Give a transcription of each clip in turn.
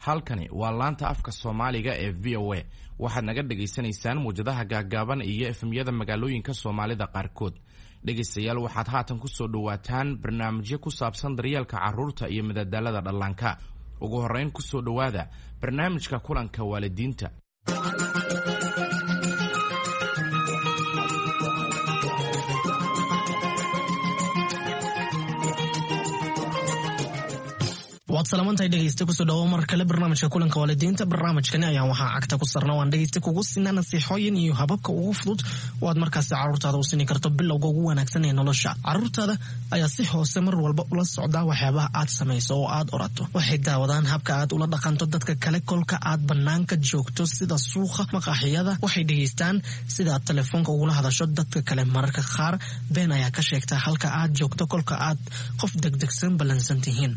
Halkani waa laanta afka Soomaaliga ee VOA. Waxaad naga dhagaysanaysaan muwjadaha gaaggaaban iyo FM-yada magaalooyinka Soomaalida qaarkood. Dhegaystayaal, waxaad haatan ku soo dhowaataan barnaamijyo ku saabsan daryeelka carruurta iyo madadaalada dhallaanka. Ugu horrayn, ku soo dhowaada barnaamijka kulanka waalidiinta. Waad salaamantahay dhegeyste, kusoo dhawo mar kale barnaamijka kulanka waalidiinta. Barnaamijkani ayaan waxaa cagta ku sarna waan dhegeyste kugu sinaa nasiixooyin iyo hababka ugu fudud oo aad markaasi carruurtaada u sini karto bilowga ugu wanaagsan ee nolosha. Carruurtaada ayaa si hoose mar walba ula socdaa waxyaabaha aad samayso oo aad orato. Waxay daawadaan habka aad ula dhaqanto dadka kale kolka aad banaanka joogto, sida suuqa, maqaaxiyada. Waxay dhegeystaan sida aad telefoonka ugula hadasho dadka kale. Mararka qaar been ayaa ka sheegtaa halka aad joogto kolka aad qof degdegsan ballansan tihiin.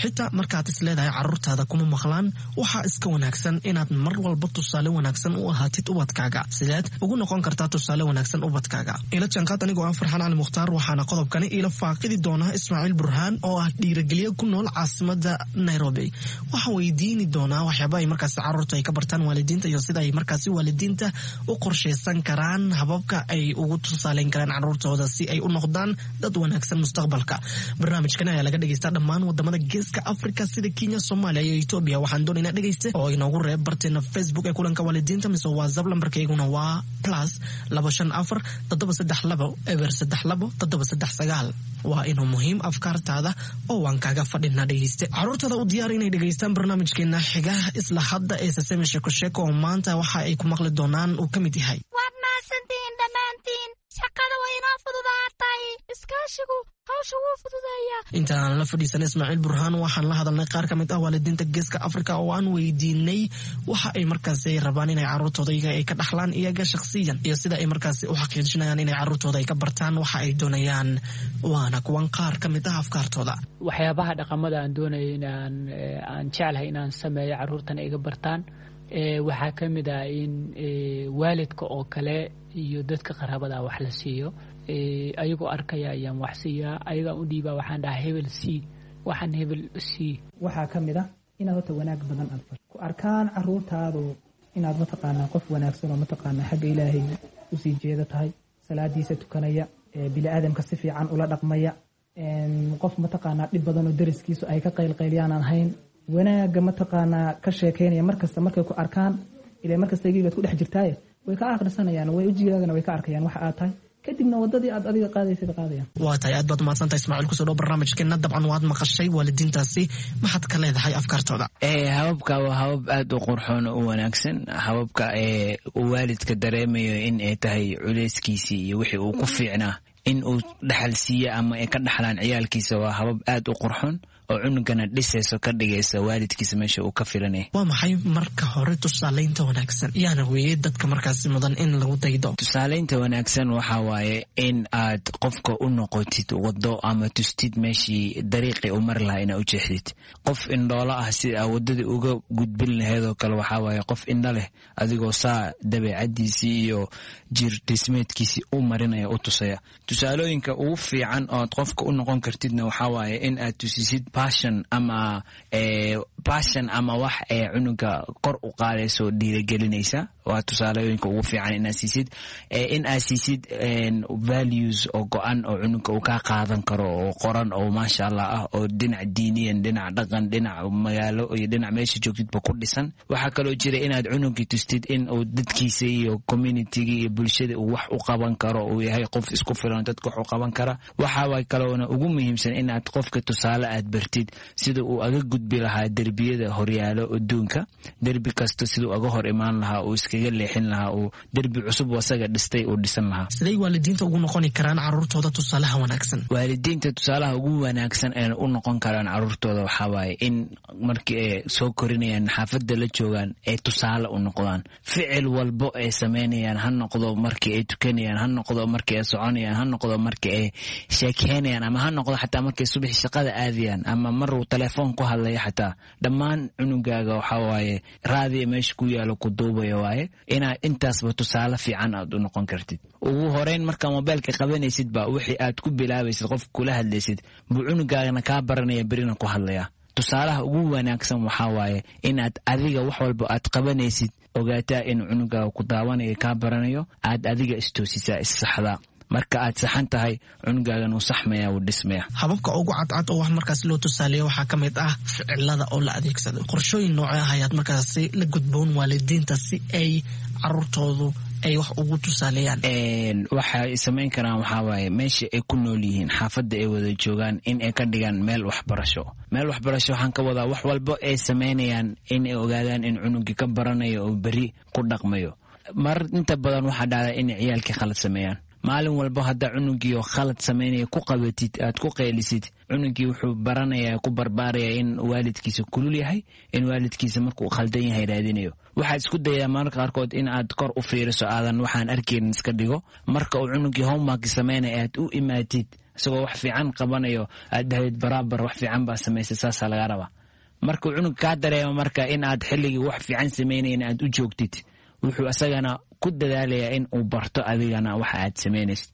Xitaa markaad is leedahay carruurtaada kuma maqlaan, waxaa iska wanaagsan inaad mar walba tusaale wanaagsan u ahaatid ubadkaaga. Sideed ugu noqon kartaa tusaale wanaagsan ubadkaaga? Ila jaanqaad anigoo ah Farxaan Cali Mukhtaar. Waxaana qodobkani iila faaqidi doonaa Ismaaciil Burhaan oo ah dhiirigeliye ku nool caasimada Nairobi. Waxaan weydiini doonaa waxyaaba ay markaasi carruurta ay ka bartaan waalidiinta iyo sida ay markaasi waalidiinta u qorshaysan karaan hababka ay ugu tusaaleyn karaan carruurtooda si ay u noqdaan dad wanaagsan mustaqbalka. Barnaamijkani ayaa laga dhegeystaa dhammaan wadamada Geeska Africa, sida Kenya, Soomaaliya iyo Etoobiya. Waxaan doonaynaa, dhegeyste, oo inoogu reeb barteena Facebook ee kulanka waalidiinta mise WhatsApp. Lambarkayguna waa +254 732 032 739. Waa inuu muhiim afkaartaada oo waan kaaga fadhinaa. Dhegeyste, carruurtaada u diyaar inay dhegeystaan barnaamijkeena xiga isla hadda ee Sesame Sheeko Sheeko, oo maanta waxa ay ku maqli doonaan uu ka mid yahay: Waad mahadsantihiin dhammaantiin, shaqada way inoo fududaatay. Iskaashigu hawsha wuu fududeeyaa. Intaan la fadhiisan Ismaaciil Burhaan, waxaan la hadalnay qaar ka mid ah waalidiinta Geeska Africa oo aan weydiinay waxa ay markaasi rabaan inay carruurtooda iyaga ay ka dhaxlaan iyaga shakhsiyan iyo sida ay markaasi u xaqiijinayaan inay carruurtooda ay ka bartaan waxa ay doonayaan. Waana kuwan qaar ka mid ah afkaartooda. Waxyaabaha dhaqamada aan doonaya inaan aan jeclahay inaan sameeyo, carruurtana iga bartaan, waxaa ka mid ah in waalidka oo kale iyo dadka qaraabada wax la siiyo. Ayagoo arkaya ayaan wax siiyaa, ayagaan u dhiibaa, waxaan dhahaa hebel sii, waxaan hebel sii. Waxaa ka mid ah inaad horta wanaag badan aad fasho, ku arkaan caruurtaadu inaad mataqaanaa qof wanaagsan oo mataqaanaa xagga Ilaahay usii jeeda tahay, salaadiisa tukanaya, bini aadamka si fiican ula dhaqmaya, qof mataqaanaa dhib badan oo dariskiisu ay ka qaylqayliyaan aan hayn, wanaagga mataqaanaa ka sheekaynaya markasta. Markay ku arkaan ila markasta igii baad ku dhex jirtaaye, way ka akhrisanayaan, way ujigaagana way ka arkayaan waxa aad tahay, kadibna wadadii aad adiga qaadaysay qaadayaan. Waa tahay, aad baad umahadsantahay Ismaaciil. Kusoo dhow barnaamijkeena. Dabcan waad maqashay waalidiintaasi, maxaad ka leedahay afkaartooda? Hababka waa habab aada u qurxoon oo u wanaagsan. Hababka ee uu waalidka dareemayo in ay tahay culeyskiisii iyo wixii uu ku fiicnaa in uu dhaxal siiyo ama ay ka dhaxlaan ciyaalkiisa waa habab aad u qurxoon oo cunugana dhisayso, ka dhigaysa waalidkiisa meesha uu ka filanaya. Waa maxay marka hore tusaalaynta wanaagsan? Yaana weeye dadka markaasi mudan in lagu daydo? Tusaalaynta wanaagsan waxaa waaye in aad qofka u noqotid wado ama tustid meeshii dariiqii u mari lahaa, inaad u jeexdid. Qof indhoolo ah si aa wadadii uga gudbin lahayd oo kale, waxaa waaye qof indho leh adigoo saa dabeecadiisii iyo jir dhismeedkiisii u marinaya, u tusaya. Tusaalooyinka ugu fiican oo aad qofka u noqon kartidna waxaa waaye in aad tusisid passion ama wax ee cunuga kor u qaadayso, dhiiragelinaysa. Waa tusaalooyinka ugu fiican inaad siisid, in aad siisid values oo go-an oo cunuga uu kaa qaadan karo oo qoran oo maasha Allah ah, oo dhinac diiniyan, dhinac dhaqan, dhinac magaalo iyo dhinac meesha joogtidba ku dhisan. Waxaa kaloo jira inaad cunugii tustid in uu dadkiisa iyo communitygii iyo bulshada uu wax u qaban karo, uu yahay qof isku filan, dadka wax u qaban kara. Waxaa kaloona ugu muhiimsan inaad qofka tusaale aad bartid sida uu aga gudbi lahaa derbiyada horyaalo adduunka, derbi kasta siduu aga hor imaan lahaa, uu iskaga leexin lahaa, uu derbi cusub asaga dhistay uu dhisan lahaa. Siday waalidiinta ugu noqoni karaan carruurtooda tusaalaha wanaagsan? Waalidiinta tusaalaha ugu wanaagsan ee u noqon karaan carruurtooda waxaa waaye in markii ay soo korinayaan, xaafadda la joogaan, ay tusaale u noqdaan. Ficil walbo ay samaynayaan, ha noqdo markii ay tukanayaan, ha noqdo markii ay soconayaan, ha noqdo markii ay sheekeynayaan, ama ha noqdo xataa markay subaxi shaqada aadayaan, ama maruu telefoon ku hadlaya xataa, dhammaan cunugaaga waxaa waaye raadiya meesha ku yaalo ku duubaya waaye, inaad intaasba tusaale fiican aad u noqon kartid. Ugu horeyn markaa mobeelka qabanaysid ba wixii aad ku bilaabaysid, qof kula hadlaysid buu cunugaagana kaa baranaya, berina ku hadlaya. Tusaalaha ugu wanaagsan waxaa waaye inaad adiga wax walba aad qabanaysid ogaataa inuu cunugaaga ku daawanayo, kaa baranayo, aad adiga istoosisaa, issaxdaa. Marka aad saxan tahay, cunugaagan wuu saxmaya, wuu dhismaya. Hababka ugu cadcad oo wax markaas loo tusaaleeya waxaa ka mid ah ficilada oo la adeegsado. Qorshooyin noocee ah ayaad markaasi la gudboon waalidiinta si ay caruurtoodu ay wax ugu tusaaleeyaan? Waxay samayn karaan waxaa waaye meesha ay ku nool yihiin, xaafadda ay wada joogaan, in ay ka dhigaan meel waxbarasho. Meel waxbarasho waxaan ka wadaa wax walbo ay samaynayaan in ay ogaadaan in cunugii ka baranayo oo beri ku dhaqmayo. Mar inta badan waxaa dhacda inay ciyaalkii khalad sameeyaan. Maalin walba haddaa cunugiio khalad samaynaya ku qabatid, aad ku qaylisid, cunugii wuxuu baranayaa, ku barbaaraya in waalidkiisa kulul yahay, in waalidkiisa markuu khaldan yahay raadinayo. Waxaad isku dayaa mararka qaarkood in aad kor u fiiriso, aadan waxaan arkeynin iska dhigo. Marka uu cunugii homework samaynaya aad u imaatid isagoo wax fiican qabanayo, aad dhahdid baraabar, wax fiican baa samaysay, saasaa laga rabaa. Markuu cunug kaa dareemo marka in aad xilligii wax fiican samaynayn aad u joogtid, wuxuu isagana ku dadaalayaa in uu barto adigana waxa aad samaynaysid.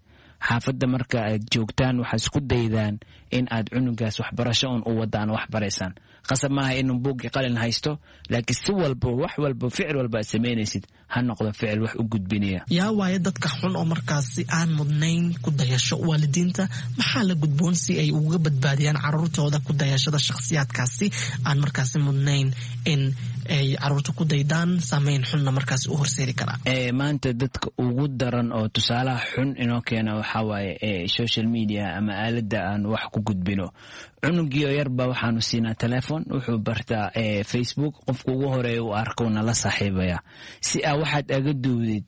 Xaafadda marka aad joogtaan, waxaad isku daydaan in aad cunugaas waxbarasho un u wadaan, wax baraysaan. Qasab maaha inuu buuggii qalin haysto, laakiin si walba, wax walba, ficil walba aad samaynaysid ha noqdo ficil wax u gudbinaya. Yaa waaye dadka xun oo markaasi aan mudnayn ku dayasho? Waalidiinta maxaa la gudboon si ay uga badbaadiyaan caruurtooda ku dayashada shakhsiyaadkaasi aan markaasi mudnayn in ay caruurta ku daydaan, saameyn xunna markaasi u horseedi karaa? Maanta dadka ugu daran oo tusaalaha xun inoo keena waxaa waaye social media ama aaladda aan wax ku gudbino. Cunugiio yarba waxaanu siinaa telefon, wuxuu bartaa Facebook, qofka ugu horeeya uu arkowna la saaxiibaya. Si aa waxaad aga duwdid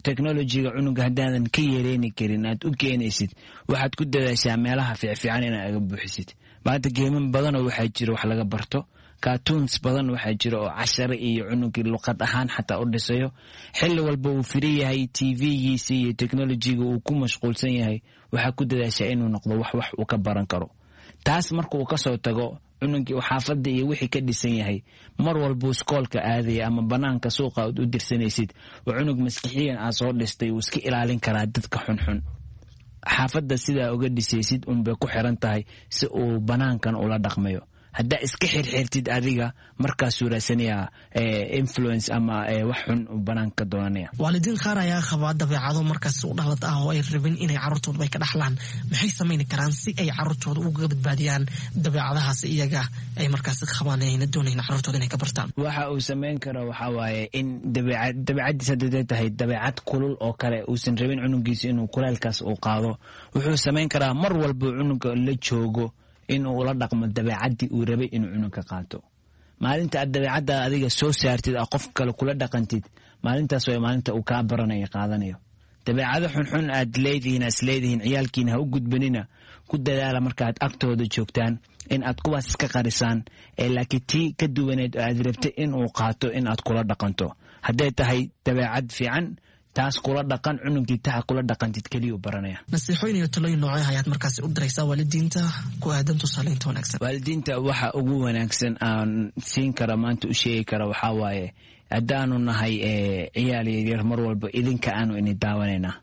technolojiga cunuga haddaadan ka yareeni karin aad u keenaysid, waxaad ku dadaashaa meelaha fiicfiican inaad aga buuxisid. Maanta geeman badanoo waxaa jiro wax laga barto, cartoons badan waxaa jira oo cashare iyo cunugii luqad ahaan xataa u dhisayo. Xilli walba uu firi yahay TV-giisa iyo technolojiga uu ku mashquulsan yahay, waxaa ku dadaashaa inuu noqdo wax uu ka baran karo. Taas marka uu kasoo tago, cunugii uu xaafadda iyo wixii ka dhisan yahay, mar walbuu iskoolka aadaya ama banaanka suuqa aad u dirsanaysid, oo cunug maskixiyan aad soo dhistay, wuu iska ilaalin karaa dadka xunxun. Xaafadda sidaa uga dhisaysid unbay ku xiran tahay si uu banaankan ula dhaqmayo. Haddaa iska xirxirtid adiga, markaasuu raadsanayaa influence ama wax xun uu banaanka ka doonanaya. Waalidiin qaar ayaa qabaa dabeecado markaasi u dhalad ah oo ay rabin inay carruurtooda ay ka dhaxlaan. Maxay samayni karaan si ay carruurtooda uga badbaadiyaan dabeecadahaas iyaga ay markaasi qabaan ayna doonayn carruurtooda inay ka bartaan? Waxa uu samayn karo waxaa waaye in dabeecaddiis hadday tahay dabeecad kulul oo kale, uusan rabin cunugiisa inuu kuleelkaas uu qaado, wuxuu samayn karaa mar walba cunuga la joogo inuu ula dhaqmo dabeecaddii uu rabay inuu cunugka qaato. Maalinta aad dabeecadda adiga soo saartid, aa qof kale kula dhaqantid, maalintaas waa maalinta uu kaa baranayo, qaadanayo. Dabeecado xunxun aad leedihiin, aad isleedihiin ciyaalkiina ha u gudbanina, ku dadaala markaaad agtooda joogtaan in aad kuwaas iska qarisaan, ee laakiin tii ka duwaneed oo aad rabtay inuu qaato in aad kula dhaqanto. Hadday tahay dabeecad fiican, taas kula dhaqan cunugii, taha kula dhaqantid keliyuu baranaya. Nasiixooyin iyo talooyin noocee ayaad markaasi u diraysaa waalidiinta ku aadan tusaaleynta wanaagsan? Waalidiinta waxa ugu wanaagsan aan siin kara maanta, u sheegi kara waxaa waaye, haddaanu nahay ciyaal yaryar, mar walba idinka aanu ini daawanaynaa.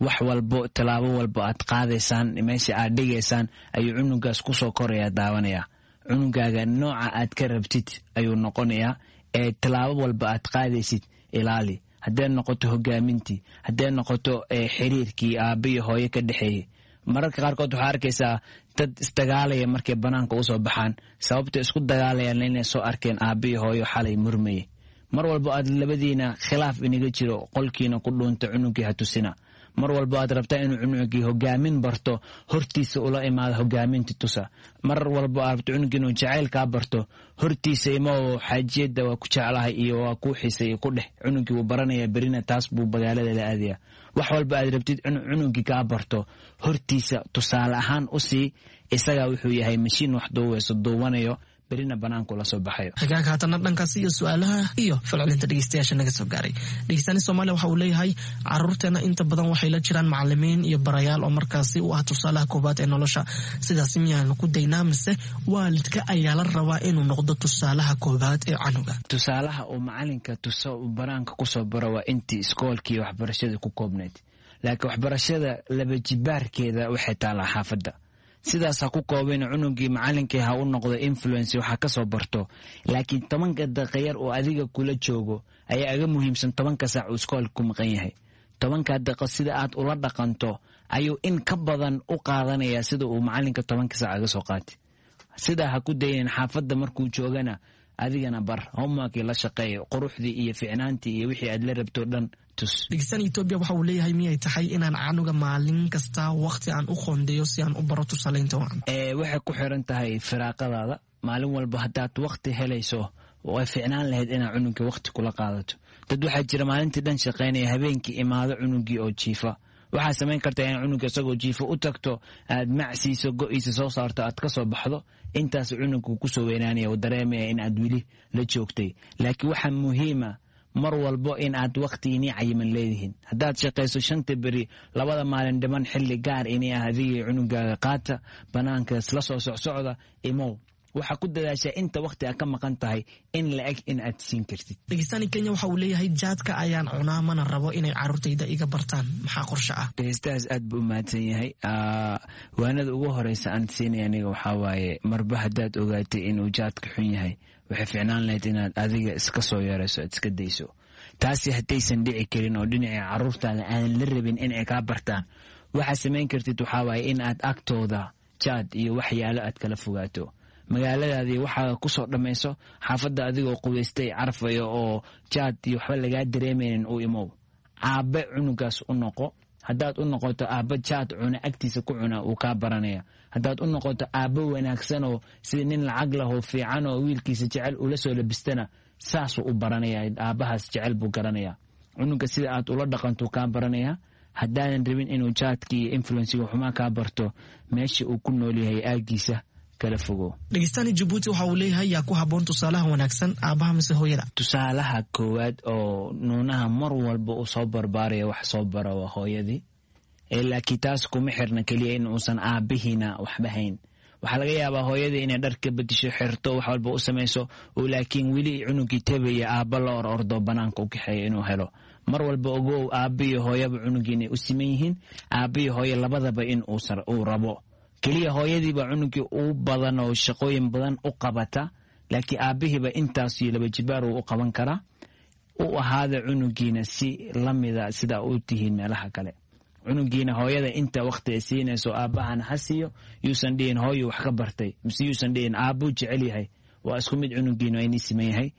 Wax walbo, tallaabo walbo aad qaadaysaan, meesha aad dhigaysaan ayuu cunugaas kusoo koraya, daawanaya. Cunugaaga nooca aad ka rabtid ayuu noqonayaa ee tallaabo walba aad qaadaysid ilaali. Hadday noqoto hogaamintii, hadday noqoto xiriirkii aabbiyo hooyo ka dhexeeyey. Mararka qaarkood waxaa arkaysaa dad isdagaalaya markay banaanka usoo baxaan, sababta isku dagaalayaan inay soo arkeen aabbiyo hooyo xalay murmayay. Mar walbo aad labadiina khilaaf inaga jiro, qolkiina ku dhuunta, cunugii ha tusina. Mar walbo aad rabtaa inuu cunugii hogaamin barto, hortiisa ula imaada, hogaaminta tusa. Mar walbo aad rabto cunugii inuu jacayl kaa barto, hortiisa imoo, xaajiyadda waa ku jeclahay iyo waa kuu xisay ku dheh. Cunugii wuu baranaya, berina taas buu magaalada la aadaya. Wax walba aad rabtid inuu cunugii kaa barto, hortiisa tusaale ahaan u sii. Isagaa wuxuu yahay mashiin wax duuweyso, duuwanayo, berina banaanku la soo baxayo. Hagaag, haatana dhankaasi iyo su-aalaha iyo falcelinta dhegeystayaasha naga soo gaaray. Dhegeystaani Soomaaliya waxa uu leeyahay, caruurteena inta badan waxay la jiraan macalimiin iyo barayaal oo markaasi u ah tusaalaha koowaad ee nolosha. Sidaasi miyaanu ku daynaa mise waalidka ayaa la rabaa inuu noqdo tusaalaha koowaad ee canuga? Tusaalaha uu macalinka tuso uu banaanka kusoo baro waa intii iskoolkii waxbarashada ku koobnayd, laakiin waxbarashada laba jibaarkeeda waxay taalaa xaafadda. Sidaas ha ku koobin cunugii, macalinkii ha u noqdo influence, waxa ka soo barto, laakiin 10-ka daqiiqa yar oo adiga kula joogo ayaa aga muhiimsan 10-ka saac uu iskoolka ku maqan yahay. 10-ka daqiiqo sida aad ula dhaqanto ayuu in ka badan u qaadanaya sida uu macalinka 10-ka saac aga soo qaatay. Sidaa ha ku daynin. Xaafadda markuu joogana adigana bar homeworkii, la shaqeeyo, quruxdii iyo ficnaantii iyo wixii aad la rabto dhan tus. Dhegeystaan Etoobiya waxa uu leeyahay, miyay tahay inaan canuga maalin kasta waqti aan u qoondeeyo si aan u baro tusaaleynta wacan? Waxay ku xiran tahay firaaqadaada. Maalin walba haddaad waqti helayso, way ficnaan lahayd inaad cunugii waqti kula qaadato. Dad waxaa jira maalintii dhan shaqaynaya, habeenkii imaado cunugii oo jiifa. Waxaa samayn kartaa in cunuga isagoo jiifo u tagto, aad macsiiso, go-iisa soo saarto, aad ka soo baxdo. Intaas cunugku kusoo weynaanaya oo dareemaya in aad weli la joogtay. Laakiin waxaa muhiima mar walbo in aad waqti inii cayiman leedihiin. Haddaad shaqayso shanta beri, labada maalin dhiman xilli gaar inii ah adigii cunugaaga qaata, banaankaas la soo socsocda, imow. Waxaa ku dadaashaa inta waqti aad ka maqan tahay in la eg in aad siin kartid. Dhegeystaani Kenya waxa uu leeyahay, jaadka ayaan cunaa, mana rabo inay carruurtayda iga bartaan, maxaa qorshe ah? Dhegeystahaas aad buu u mahadsan yahay. Waanada ugu horeysa aan siinaya aniga waxaa waaye, marba haddaad ogaatay inuu jaadka xun yahay, waxay ficnaan lahayd inaad adiga iska soo yarayso, aad iska dayso. Taasi haddaysan dhici karin oo dhinacii carruurtaada aanan la rabin in ay kaa bartaan, waxaad samayn kartid waxaa waaye in aad agtooda jaad iyo waxyaalo aad kala fogaato. Magaaladaadii waxaa kusoo dhammayso, xaafadda adigoo qubaystay, carfayo oo jaad iyo waxba lagaa dareemaynin u imow. Aabbe cunugaas u noqo. Haddaad u noqoto aabba jaad cuna agtiisa ku cuna, uu kaa baranaya. Haddaad u noqoto aabbo wanaagsan oo sida nin lacag lahoo fiican oo wiilkiisa jecel ula soo labistana, saasuu u baranaya. Aabbahaas jecel buu garanaya. Cunuga sida aad ula dhaqantuu kaa baranaya. Haddaadan rabin inuu jaadkii iyo influenciga xumaa kaa barto, meesha uu ku nool yahay aagiisa kala fogo. Dhegeystaani Jabuuti waxa uu leeyahay, yaa ku habboon tusaalaha wanaagsan, aabbaha mise hooyada? Tusaalaha koowaad oo nuunaha mar walba uu soo barbaaraya wax soo bara waa hooyadii. Laakiin taas kuma xirna keliya in uusan aabbihiina waxba hayn. Waxaa laga yaabaa hooyadii inay dharka bedisho, xirto, wax walba u samayso, oo laakiin weli cunugii tabaya aabba la or ordo, banaanka u kaxeeya inuu helo. Mar walba ogow, aabbiyo hooyaba cunugii inay u siman yihiin, aabbiyo hooyo labadaba in uu rabo. Keliya hooyadiiba cunugii u badan oo shaqooyin badan u qabata, laakiin aabbihiiba intaas iyo laba jibaar uu u qaban karaa. U ahaada cunugiina si lamida sidaa u tihiin meelaha kale. Cunugiina hooyada inta waqti ay siinayso aabbahana ha siiyo. Yuusan dhihin hooyu wax ka bartay, mise yuusan dhihin aabbuu jecel yahay. Waa isku mid, cunugiina waa inii siman yahay.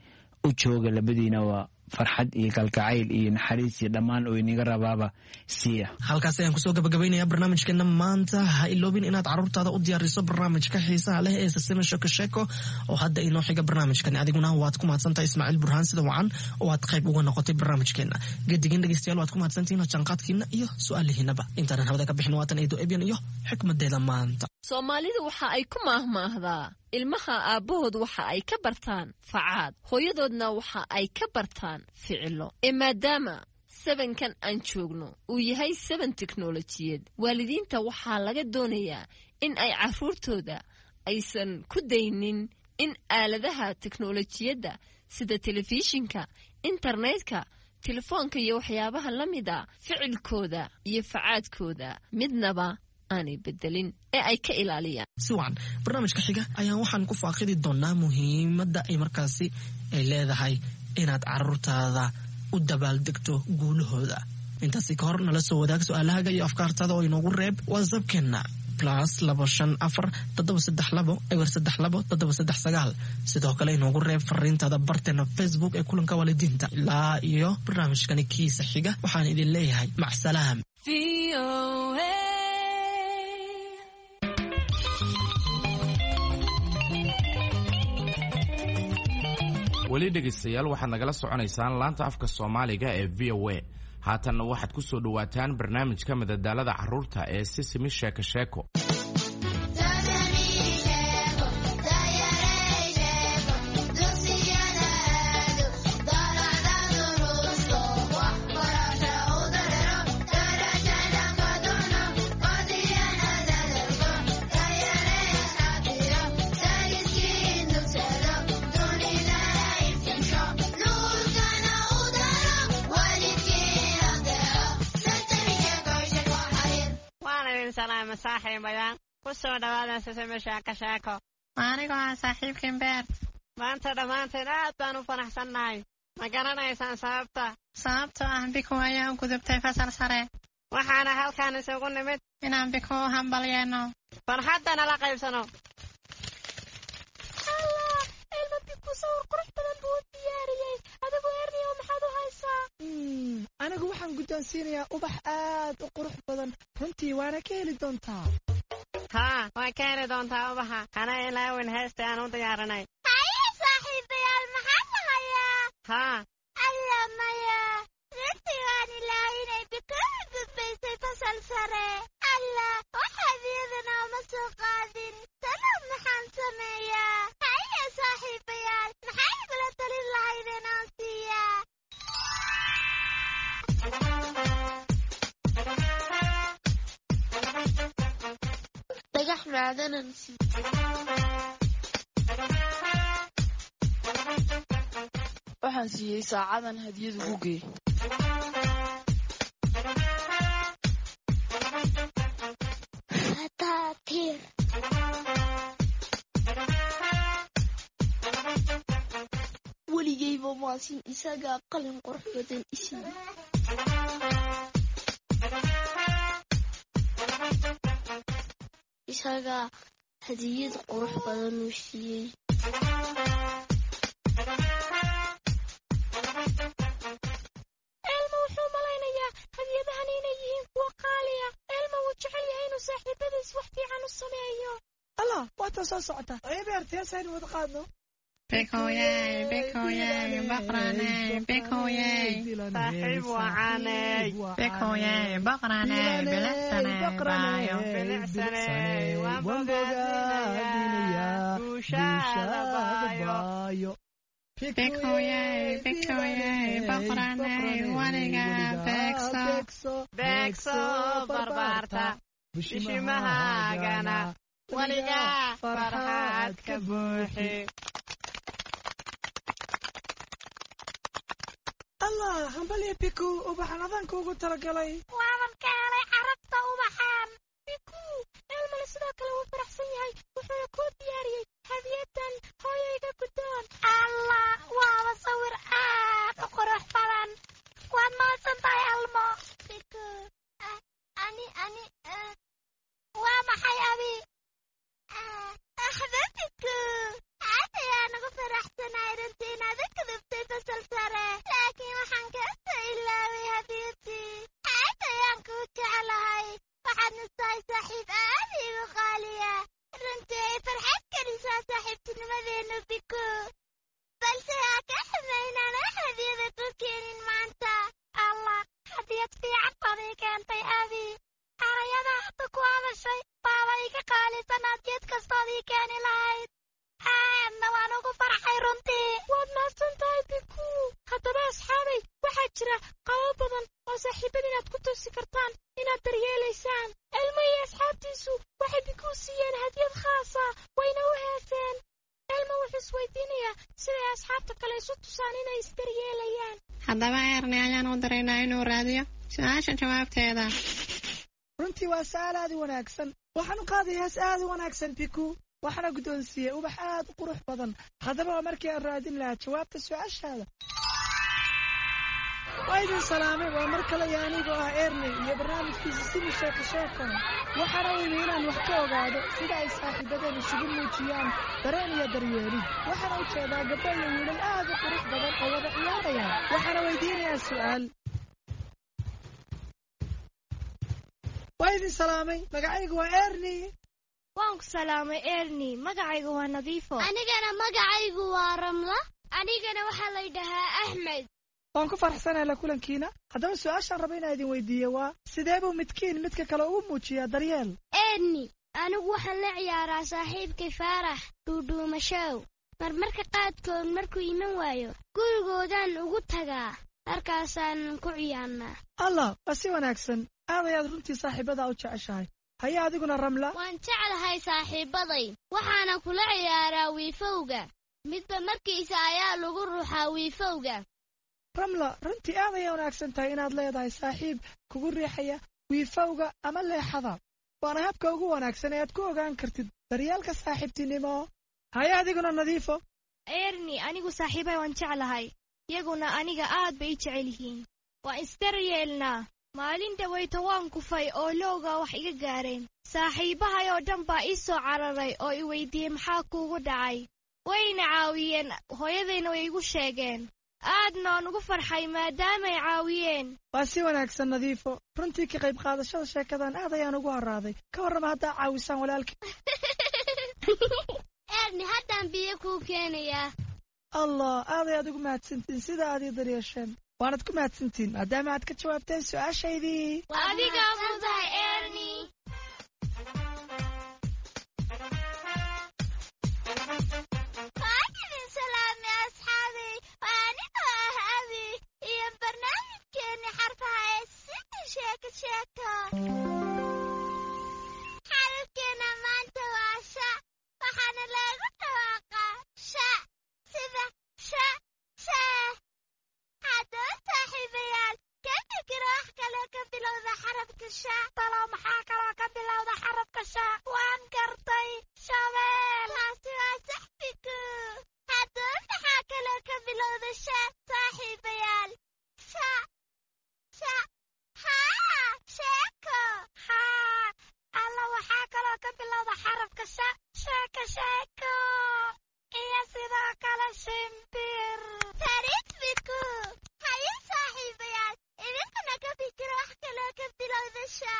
U jooga labadiina, waa farxad iyo kalgacayl iyo naxariis iyo dhammaan oo inaga rabaaba siiya. Halkaas ayaan kusoo gabagabaynaya barnaamijkeena maanta. Ha iloobin inaad carruurtaada u diyaariso barnaamijka xiisaha leh ee Sasima Sheko Sheeko oo hadda inoo xiga barnaamijkan. Adiguna waad ku mahadsantahay, Ismaaciil Burhaan, sida wacan oo aad qayb uga noqotay barnaamijkeena. Gedigan dhegeystayaal, waad ku mahadsantihiin jaanqaadkiina iyo su-aalihiinaba. Intaanan hawada ka bixin, waatan Eedo Ebyan iyo xikmadeeda maanta. Soomaalidu waxa ay ku maahmaahdaa, ilmaha aabbahood waxa ay ka bartaan facaad, hooyadoodna waxa ay ka bartaan ficilo. Ee maadaama sabankan aan joogno uu yahay saban teknolojiyad, waalidiinta waxaa laga doonayaa in ay carruurtooda aysan ku daynin in aaladaha teknolojiyadda sida telefishinka, internetka, telefoonka iyo waxyaabaha la mida ficilkooda iyo facaadkooda midnaba aanay bedelin ee ay ka ilaaliyaan. Si wacan, barnaamijka xiga ayaan waxaan ku faaqidi doonaa muhiimadda ay markaasi ay leedahay inaad carruurtaada u dabaaldegto guulahooda. Intaasi ka hor, nala soo wadaag su-aalahaga iyo afkaartaada oo inoogu reeb WhatsAppkeenna +254 732 032 739. Sidoo kale inoogu reeb fariintaada barteena Facebook ee Kulanka Waalidiinta. Ilaa iyo barnaamijkani kiisa xiga, waxaan idin leeyahay macsalaam. Weli dhegaystayaal, waxaad nagala soconaysaan laanta afka Soomaaliga ee VOA. Haatanna waxaad ku soo dhowaataan barnaamijka madadaalada carruurta ee Sisimi Sheeko Sheeko. Ku soo dhawaada Sisimi Sheeko Sheeko. Anigoo ah saaxiibkiin Beert. Maanta dhammaanteen aad baan u faraxsannahay. Ma garanaysaan sababta? Sababtoo ah Biku ayaa u gudubtay fasal sare. Waxaana halkaan isugu nimid inaan Biku u hambalyeeno, farxaddana la qaybsano. Allah, Elmo Biku sawir qurux badan buu u diyaariyey. Adigu Erniyow, maxaad u haysaa? Anigu waxaan guddoonsiinayaa ubax aad u qurux badan. Runtii waana ka heli doontaa. Haa, waan ka heli doontaa ubaxa. Hana ilaawin heesta aan u diyaarinay. Haye saaxiibayaal, maxaa la hayaa? Haa. Alla maya, runtii waan ilaawinay Biku u gudbaysay fasal sare. Allah, wax hadiyadana uma soo qaadin. Talow maxaan sameeyaa? Haye saaxiibayaal, maxay igula talin lahaydeen aan siiyaa? Dhagax macdanan sii. Waxaan siiyey saacadan hadiyad ugu geey. Fataatiir. Weligayba maasin isagaa qalin qurux badan isiiye. Isagaa hadiyad qurux badan uu siiyey. Elmo wuxuu malaynayaa hadiyadahan inay yihiin kuwo qaali ah. Elmo wuu jecel yahay inuu saaxiibadiis wax fiican u sameeyo. Allah, waata soo socota. Ebeert, heesaynu wada qaadno. Bikuyey, Bikuyey, boqraney, Bikuyey. Saaxiib wacaney. Bikuyey, boqraney, bilicsaney, baayo. Bilicsaney, waan bogaadinayaa guushaada baayo. Bikuyey, Bikuyey, boqraney, weligaa beegso. Beegso barbaarta, bishimahaagana weligaa farxad ka buuxi. Allah, hambalya Biku, ubaxan adanka ugu talagalay. Waaban ka helay carabta ubaxan. Biku, Elmale sidoo kale wuu faraxsan yahay, wuxuuna kuu diyaariyey hadiyadan. Hooyayga guddoon. Allah, waaba sawir aad u qurux badan. Waad mahadsan tahay, Elmo. Biku, ani ani Waa maxay abi? Axba Biku, aad ayaan ugu faraxsanahay runtii inaad u gudubtay fasal sare, laakiin waxaan kaa soo ilaaway hadiyadii. Aad ayaan kuu jeclahay, waxaadna tahay saaxiib aad iigu qaaliya. Runtii ay farxad gelisaa saaxiibtinimadeenu, Biku, balse ha ka xumay inaan wax hadiyada ku keenin maanta. Allah, hadiyad fiican baad ii keentay abi. Erayada hadda ku hadashay baaba iga qaalisan hadiyad kastood ii keeni lahayd. Aadna waan ugu farxay runtii. Waad mahadsan tahay, Biku. Haddaba asxaabay, waxaa jira qabo badan oo saaxiibada inaad ku tusi kartaan inaad daryeelaysaan. Elmo iyo asxaabtiisu waxay Biku siiyeen hadiyad khaasa, wayna u heeseen. Elmo wuxuu isweydiinayaa siday asxaabta kale isu tusaan inay isdaryeelayaan. Haddaba Erni ayaan u diraynaa inuu raadiyo su-aasha jawaabteeda. Runtii waa su'aal aad u wanaagsan. Waxaan u qaaday hees aad u wanaagsan Biku, waxaana guddoonsiiyey ubax aad u qurux badan. Haddaba waa markii aan raadin lahaa jawaabta su-aashaada. Waa idin salaamay, waa mar kale iyo anigoo ah Erni iyo barnaamijkiisa Simi Sheeko Sheeko. Waxaana u imi inaan wax ka ogaado sida ay saaxiibadeen isugu muujiyaan dareen iyo daryeelid. Waxaana u jeedaa gabdho iyo wiilal aad u qurux badan oo wada ciyaaraya. Waxaana weydiinayaa su'aal. Waa idin salaamay, magacaygu waa Erni. Waan ku salaamay Erni, magacaygu waa Nadiifo. Anigana magacaygu waa Ramla. Anigana waxaa la yidhahaa Axmed. Waan ku faraxsanahay la kulankiina. Haddaba su-aashaan raba inaan idin weydiiye waa: sidee buu midkiin midka kale ugu muujiyaa daryeel? Erni, anigu waxaan la ciyaaraa saaxiibkay Faarax dhuudhuumashow. Marmarka qaadkood markuu iman waayo, gurigoodaan ugu tagaa, halkaasaanan ku ciyaarnaa. Allah, waa si wanaagsan. Aad ayaad runtii saaxiibadaa u jeceshahay. Haye adiguna, Ramla? Waan jeclahay saaxiibbaday, waxaana kula ciyaaraa wiifowga. Midba markiisa ayaa lagu ruxaa wiifowga. Ramla, runtii aad ayay wanaagsan tahay inaad leedahay saaxiib kugu riixaya wiifowga ama leexada. Waana habka ugu wanaagsan ee aad ku ogaan kartid daryeelka saaxiibtinimo. Haye adiguna, Nadiifo. Erni, anigu saaxiibay waan jeclahay, iyaguna aniga aad bay i jecel yihiin. Waan isdaryeelnaa. Maalin dhawayto waan kufay oo lowga wax iga gaareen. Saaxiibahay oo dhan baa ii soo cararay oo i weydiiyey maxaa kuugu dhacay. Wayna caawiyeen, hooyadayna way igu sheegeen. Aadna waan ugu farxay maadaamay caawiyeen. Waa si wanaagsan, Nadiifo. Runtii ka qayb qaadashada sheekadan aad ayaan ugu haraaday. Ka warrama haddaa caawisaan walaalkii? Erni, haddaan biyo kuu keenayaa. Allah, aad ayaad ugu mahadsantiin sida aad ii daryeesheen. Waanad ku mahadsantiin maadaama aad ka jawaabteen su-aashaydii. Adigaa mudahay, Erni. Waan idin salaamay, asxaabay. Waa anigoo ah Abi iyo barnaamijkeenni xarfaha ee Sidii Sheeko Sheeko. Xarafkeena maanta waa sha, waxaana loogu dhawaaqaa sha, sida sha sha. Haddaba saaxiibayaal, ka fikira wax kaloo ka bilowda xarafka sha. Talow maxaa kaloo ka bilowda xarafka sha? Waan gartay, shabeel. Taasi waa sax fiku. Haddaba maxaa kaloo ka bilowda sha, saaxiibayaal? Sha sha, haa, sheeko. Haa, alla, waxaa kaloo ka bilowda xarafka sha sheeko sheeko iyo sidoo kale shimbir. Fariid fiku. Haye saaxiibayaal, idinkuna ka fikira wax kaloo ka bilowda sha.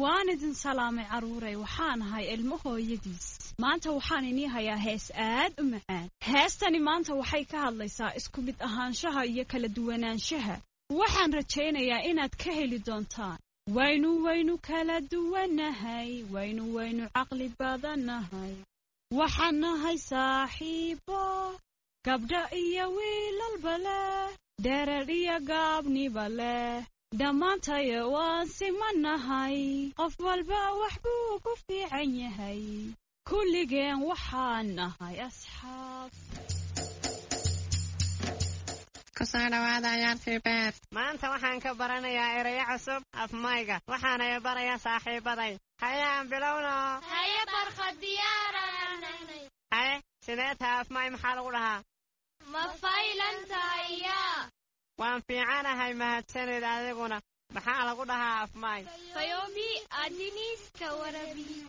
Waan idin salaamay, carruuray. Waxaan ahay ilmo hooyadiis. Maanta waxaan inii hayaa hees aad u macaan. Heestani maanta waxay ka hadlaysaa isku mid ahaanshaha iyo kala duwanaanshaha. Waxaan rajaynayaa inaad ka heli doontaan. Waynu kala duwanahay, waynu caqli badannahay. Waxaan nahay saaxiibo, gabdho iyo wiilalba leh, dherer iyo gaabniba leh. Dhammaantayo waan simanahay, qof walba wax buu ku fiican yahay. Kulligeen waxaan nahay asxaab. Kusoo dhawaada ciyaartii beer. Maanta waxaan ka baranayaa erayo cusub afmayga, waxaana barayaa saaxiibaday. Haye, aan bilowno. Haye Barqa, diyaaranahnay. Haye, sidee taha? Afmay maxaa lagu dhahaa? Ma faylan tahay yaa? Waan fiicanahay, mahadsanid. Adiguna maxaa lagu dhahaa afmay? Fayobi adiniska warabi.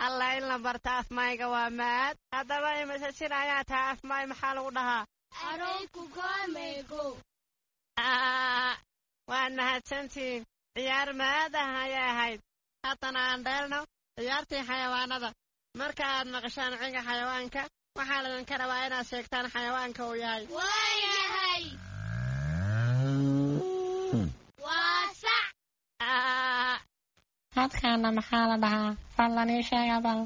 Alla, in la barta afmayga waa maad. Haddaba imise jir ayaa taha? Afmay maxaa lagu dhahaa? Waad mahadsantihiin. Ciyaar maad ah ayay ahayd. Haddana aan dheelno ciyaartii xayawaanada. Marka aad maqashaan ciga xayawaanka, waxaa laydinka rabaa inaad sheegtaan xayawaanka uu yahay. Waa yahay. Waa sac. Hadkaana maxaa la dhahaa? Fadlan ii sheega bal.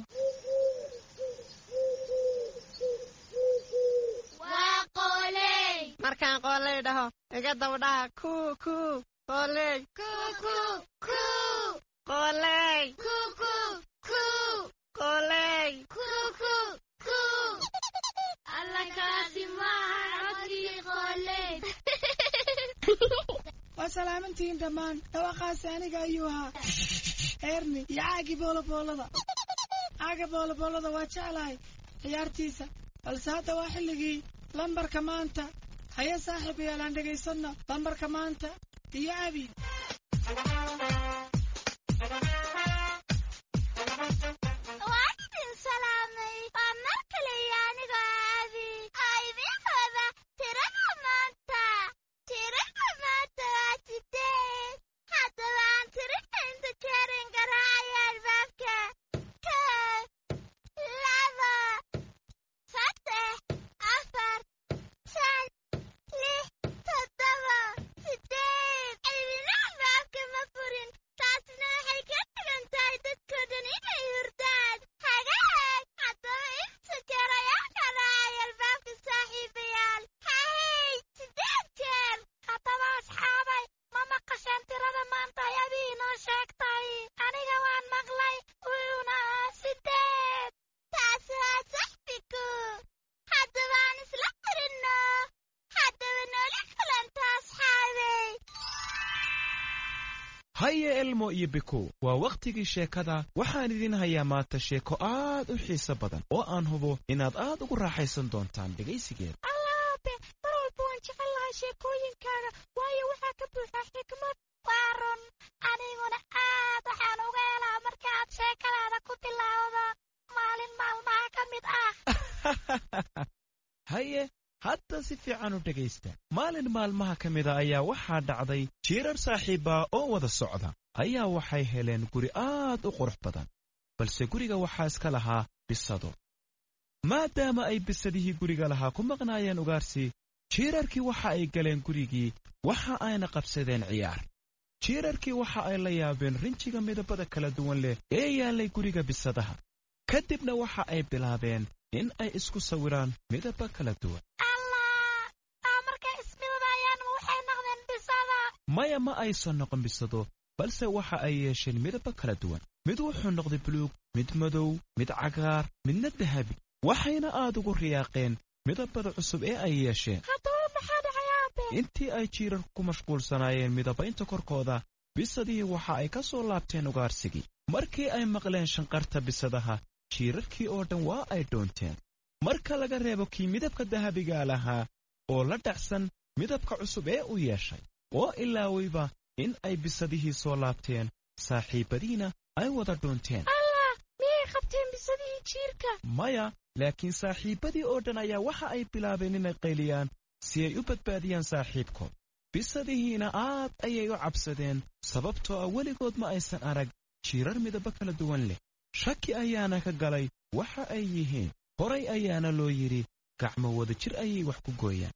Waa qooley. Markaan qooley dhaho, iga dabdhaha kuu kuu qooley. Kuu kuu kuu. Qooley. Kuu kuu kuu. Qooley. Kuu kuu kuu. Alla, kaasi maaha codkii qooley. Waa salaamantihiin dhammaan. Dhawaaqaasi aniga ayuu ahaa, Erni iyo caagii booloboolada. Caaga booloboolada waa jeclahay ciyaartiisa, balse hadda waa xilligii lambarka maanta. Haye saaxiibayaal, aan dhegaysanno lambarka maanta iyo Abi. Waan idin salaamay. Waa mar kale iyo anigoo Abi oo idiin wada tirada maanta. Tirada maanta waa 8. Haddaba aan tirinta inta jeerin garaacaya albaabka. 1, 2, 3, 4, 5, 6, 7, 8. Idina albaabka ma furin. Taasina waxay ka Haye Elmo iyo Bikow, waa wakhtigii sheekada. Waxaan idin hayaa maanta sheeko aad u xiiso badan oo aan hubo inaad aad ugu raaxaysan doontaan dhegaysigeeda. Allaabe, mar walba waan jecel lahay sheekooyinkaaga, waayo waxaa ka buuxaa xikmad. Waa run, aniguna aad waxaan uga helaa marka aad sheekadaada ku bilaawdo maalin maalmaha ka mid ah. Haye, hadda si fiican u dhegaysta. Maalin maalmaha ka mida ayaa waxaa dhacday jiirar saaxiibbaa oo wada socda ayaa waxay heleen guri aad u qurux badan, balse guriga waxaa iska lahaa bisado. Maadaama ay bisadihii guriga lahaa ku maqnaayeen ugaarsi, jiirarkii waxa ay galeen gurigii, waxa ayna qabsadeen ciyaar. Jiirarkii waxa ay la yaabeen rinjiga midabada kala duwan leh ee yaallay guriga bisadaha. Kadibna waxa ay bilaabeen in ay isku sawiraan midaba kala duwan. Allah, aa markay ismidabayaan waxay noqdeen bisada? Maya, ma aysan noqon bisado, balse waxa ay yeesheen midaba kala duwan. Mid wuxuu noqday buluug, mid madow, mid cagaar, midna dahabi. Waxayna aad ugu riyaaqeen midabada cusub ee ay yeesheen. Haddaba maxaa dhacay, aabe? Intii ay jiirarku ku mashquulsanaayeen midabaynta korkooda, bisadihii waxa ay ka soo laabteen ugaarsigii. Markii ay maqleen shanqarta bisadaha, jiirarkii oo dhan waa ay dhoonteen, marka laga reebo kii midabka dahabigaa lahaa oo la dhacsan midabka cusub ee u yeeshay, oo ilaawayba in ay bisadihii soo laabteen, saaxiibbadiina ay wada dhuunteen. Allah, miyay qabteen bisadihii jiirka? Maya, laakiin saaxiibbadii oo dhan ayaa waxa ay bilaabeen inay qayliyaan si ay u badbaadiyaan saaxiibkood. Bisadihiina aad ayay u cabsadeen, sababtoo ah weligood ma aysan arag jiirar midabo kala duwan leh. Shaki ayaana ka galay waxa ay yihiin. Horay ayaana loo yidhi gacmo wada jir ayay wax ku gooyaan.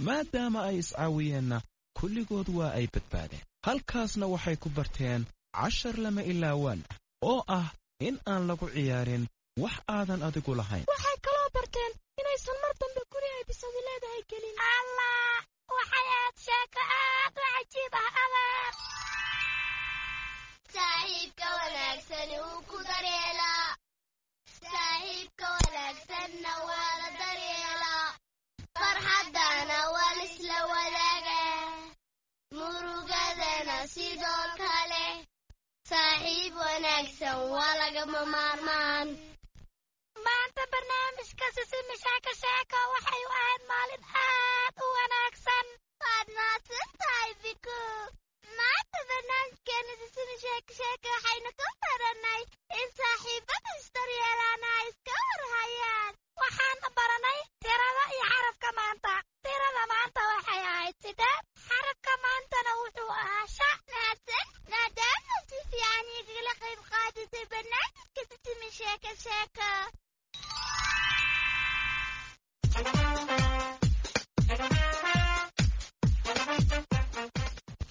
Maadaama ay iscaawiyeenna, kulligood waa ay badbaadeen. Halkaasna waxay ku barteen cashar lama ilaawaan ah oo ah in aan lagu ciyaarin wax aadan adigu lahayn. Waxay kaloo barteen inaysan mar dambe guri ay bisadu leedahay gelin. Allah, waxay aad sheeko aad u cajiib ah, adeer. Saaxiibka wanaagsani wuu ku daryeelaa, saaxiibka wanaagsanna waa la daryeelaa. Farxaddana waa laisla wadaagaa, murugadana sidoo kale. Saaxiib wanaagsan waa lagama maarmaan. Maanta barnaamijka Sisimi Sheeko Sheeko waxay u ahayd maalin aad u wanaagsan. Waad mahadsan tahay, Biku. Maanta barnaamijkeena Sisimi Sheeko Sheeko waxaynu ku baranay in saaxiibada isdaryeelaana ay iska warhayaan. Waxaan baranay tirada iyo xarafka maanta. Tirada maanta waxay ahayd 8, xarafka maantana wuxuu ahaa sha. Mahadsan, maadaama si fiican igala qayb qaadatay barnaamijka Sisimi Sheeko Sheeko.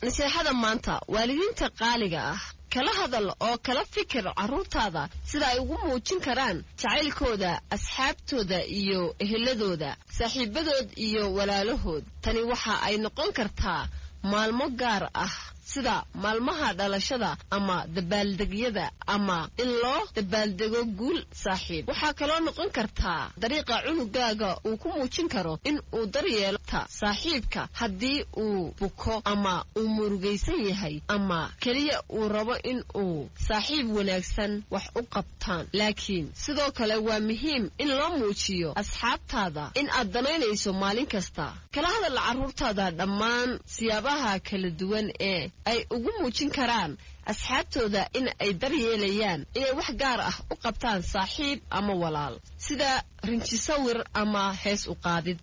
Naseexada maanta, waalidiinta qaaliga ah, kala hadal oo kala fikir carruurtaada sida ay ugu muujin karaan jacaylkooda asxaabtooda iyo eheladooda, saaxiibadood iyo walaalahood. Tani waxa ay noqon kartaa maalmo gaar ah sida maalmaha dhalashada ama dabaaldegyada ama in loo dabaaldego guul saaxiib. Waxaa kaloo noqon kartaa dariiqa cunugaaga uu ku muujin karo in uu daryeelta saaxiibka haddii uu buko ama uu murugaysan yahay ama keliya uu rabo in uu saaxiib wanaagsan wax u qabtaan. Laakiin sidoo kale waa muhiim in loo muujiyo asxaabtaada in aad danaynayso maalin kasta. Kala hadal carruurtaada dhammaan siyaabaha kala duwan ee ay ugu muujin karaan asxaabtooda in ay daryeelayaan, inay wax gaar ah u qabtaan saaxiib ama walaal, sida rinjisawir ama hees u qaadid.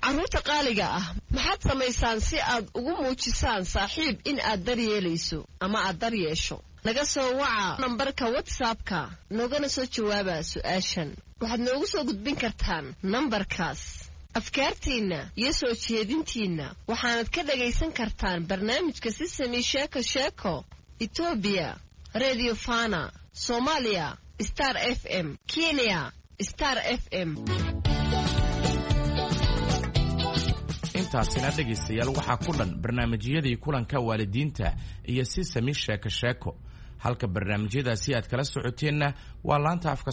Carruurta qaaliga ah, maxaad samaysaan si aad ugu muujisaan saaxiib in aad daryeelayso ama aad daryeesho? Naga soo waca nambarka WhatsAppka noogana soo jawaaba su'aashan. Waxaad noogu soo gudbin kartaan nambarkaas afkaartiinna iyo soo jeedintiinna. Waxaanad ka dhagaysan kartaan barnaamijka Sisami Sheeko Sheeko Etoobiya Redio Fana, Soomaaliya Star FM, Kenya Star FM. Intaasina dhegaystayaal waxaa ku dhan barnaamijyadii kulanka waalidiinta iyo Sisami Sheeko Sheeko. Halka barnaamijyadaasi aad kala socoteenna waa laanta afka.